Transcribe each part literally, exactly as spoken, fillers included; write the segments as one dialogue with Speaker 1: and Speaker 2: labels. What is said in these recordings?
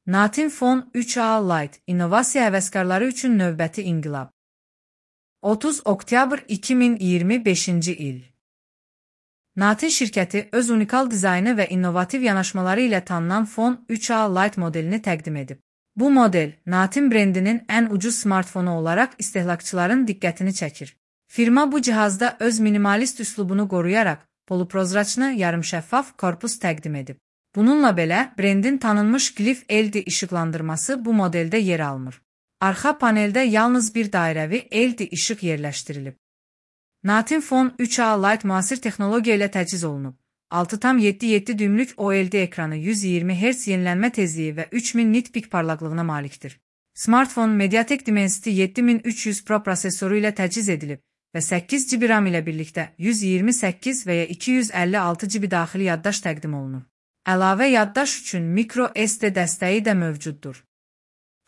Speaker 1: Natin Phone üç A Lite innovasiya həvəskarları üçün növbəti inqilab. otuz oktyabr iki min iyirmi beşinci il. Natin şirkəti öz unikal dizaynı və innovativ yanaşmaları ilə tanınan Phone üç A Lite modelini təqdim edib. Bu model, Natin brendinin ən ucuz smartfonu olaraq istehlakçıların diqqətini çəkir. Firma bu cihazda öz minimalist üslubunu qoruyaraq poluprozraçlı yarımşəffaf korpus təqdim edib. Bununla belə, brendin tanınmış Glyph L E D işıqlandırması bu modeldə yer almır. Arxa paneldə yalnız bir dairəvi L E D işıq yerləşdirilib. Natin Phone üç A Lite müasir texnologiya ilə təchiz olunub. altı tam yeddi yeddi düymlük O L E D ekranı, yüz iyirmi hertz yenilənmə tezliyi və üç min nit pik parlaqlığına malikdir. Smartfon Mediatek Dimensity yeddi min üç yüz Pro prosesoru ilə təchiz edilib və səkkiz giqabayt RAM ilə birlikdə yüz iyirmi səkkiz və ya iki yüz əlli altı giqabayt daxili yaddaş təqdim olunur. Əlavə yaddaş üçün micro S D dəstəyi də mövcuddur.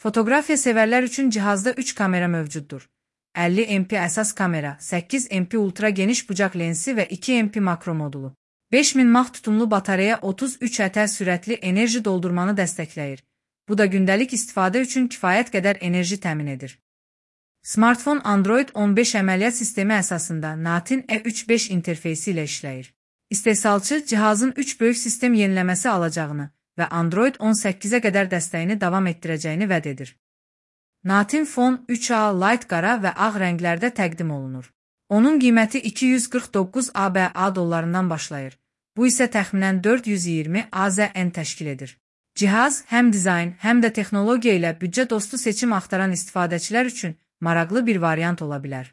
Speaker 1: Fotoqrafiya sevərlər üçün cihazda üç kamera mövcuddur. əlli megapiksellik əsas kamera, səkkiz megapiksellik ultra geniş bucaq lensi və iki megapiksellik makro modulu. beş min mAh tutumlu batareya otuz üç ətər sürətli enerji doldurmanı dəstəkləyir. Bu da gündəlik istifadə üçün kifayət qədər enerji təmin edir. Smartfon Android on beş əməliyyat sistemi əsasında Natin E üç beş interfeysi ilə işləyir. İstehsalçı cihazın üç böyük sistem yeniləməsi alacağını və Android on səkkizə qədər dəstəyini davam etdirəcəyini vəd edir. Natin Phone üç A Lite qara və ağ rənglərdə təqdim olunur. Onun qiyməti iki yüz qırx doqquz ABA dollarından başlayır. Bu isə təxminən dörd yüz iyirmi AZN təşkil edir. Cihaz həm dizayn, həm də texnologiya ilə büdcə dostu seçim axtaran istifadəçilər üçün maraqlı bir variant ola bilər.